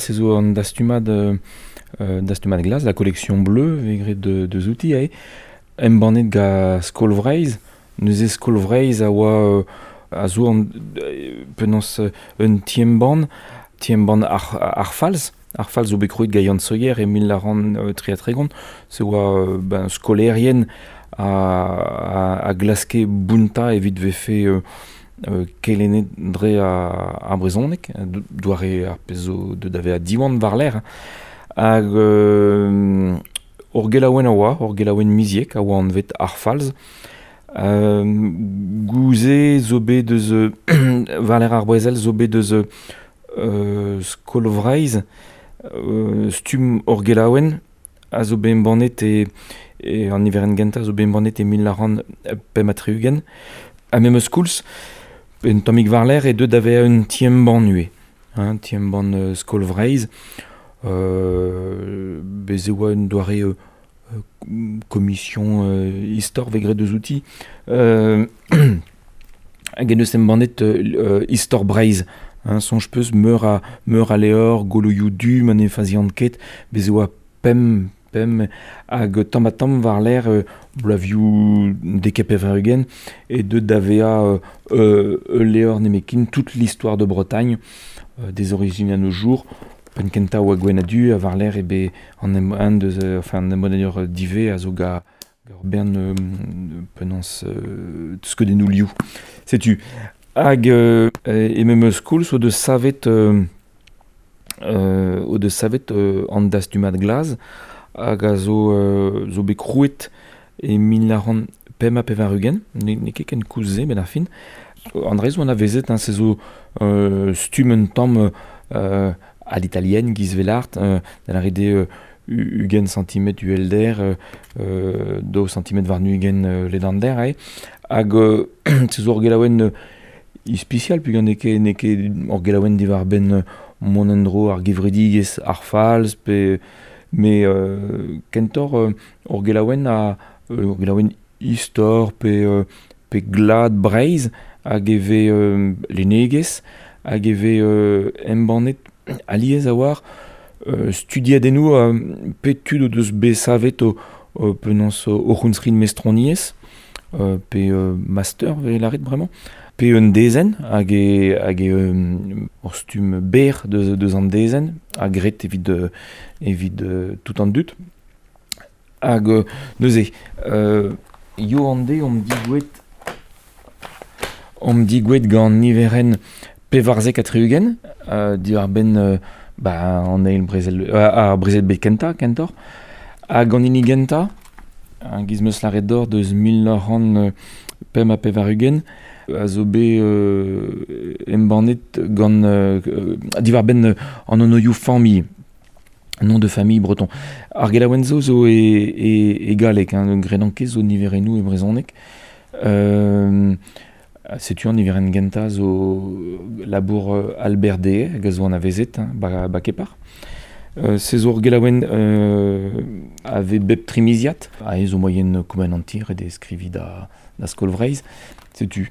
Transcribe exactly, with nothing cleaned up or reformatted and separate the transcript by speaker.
Speaker 1: se zo an dastumad, euh, dastumad glas, la collection bleue, vegret de, de zouti, ae, embannet ga Skol Vreizh, neuze Skol Vreizh a oa euh, a zo an, penaos un ti-embann, ti-embann ar, ar falz, ar falz zo bet krouet ga Yann Sohier e mil nav c'hant tri ha tregont, se oa ben, skolerien a, a, a glaske bounta evit vefe euh, euh, kelennet dre a, a brezhoneg, doare ar pezh zo deut da vezañ Diwan war-lerc'h. Hag euh, ur gelaouenn a oa, ur gelaouenn miziek a oa anvet ar falz. Euh, gouze zo bet deus war-lerc'h ar brezel zo bet deus euh, Skol Vreizh, euh, stumm ur gelaouenn a zo bet embannet e, e an niverenn gentañ zo bet embannet e mil nav c'hant pemp ha tri-ugent. Ha memes koulz, un tammig war-lerc'h e deut da vezañ un ti-embann ivez, hein, ti-embann euh, Skol Vreizh. Euh, bez e oa un doare euh, commission euh, istor vegret deus outi. Euh, hag en deus embannet euh, Istor Breizh, hein, soñj peus meur a, meur a levr, goloioù du, ma ne fazian ket, bez e oa pemp, pemp hag tamm ha tamm war-lerc'h euh, bloavioù dek ha pevar-ugent e deut da vezañ euh, ul levr nemetken toute l'histoire de Bretagne, euh, des origines à nos jours. Penn kentañ oa gwenn ha du ha war-lerc'h eo bet an em un deus euh, enfin an embannadur divez a zo ga ur bern euh, penaos euh, skeudennoù liv. Setu. Hag euh, e memes koulz o deus savet euh, euh, o deus savet euh, an dastumad glas hag a zo, euh, zo bet krouet e mil nav c'hant pemp ha pevar-ugent, ne, n'eo ket ken koulz se, ben ar fin. An dra zo anavezet, hein, se zo euh, stumm un tamm euh, à l'italienne, giz velart, euh, da lâret eo euh, ugent centimetr uhelder, euh, euh, daou centimetr warn ugent euh, ledander, ae. Hag euh, se zo ur gelaouenn euh, ispisial, peogwir n'eo ket, n'eo ket ur gelaouenn diwar-benn mont en-dro ar gevredigezh ar falz, pe me euh, kentoc'h euh, ur gelaouenn a ur gelaouenn istor pe, euh, pe glad Breizh hag e vez euh, lennegezh hag e vez euh, embannet alies a war euh, studiadennoù euh, pe tud o deus bet savet o, o penaos o c'hounskrid mestroniezh, euh, pe euh, master vez lâret bremañ, pe un dezenn hag e, hag e euh, ur stumm berr deus, deus an dezenn ha graet evit, euh, evit euh, tout an dud. Hag euh, neuze, euh, yo an de omp digouet omp digouet gant niverenn pevarzek ha tri-ugent, euh, diwar-benn euh, ba, an eil brezel, euh, ar brezel bet kentañ, kentoc'h. Hag an hini gentañ, an giz meus lâret deoc'h deus mil nav c'hant pemp ha pevar-ugent, a zo bet euh, embannet gant euh, diwar-benn an anvioù familh, nom de famille breton. Ar gelaouenn zo zo e, e, e galleg, hein, gredan ket zo niverennoù e brezhoneg. Euh, setu an niverenn gentañ zo labour Albert Deshaies, hag a zo anavezet, hein, ba, ba kepar. Euh, se zo ur gelaouenn euh, a vez bep trimiziad, a zo moyen koumanantir e de skriviñ da, da Skol Vreizh. Setu.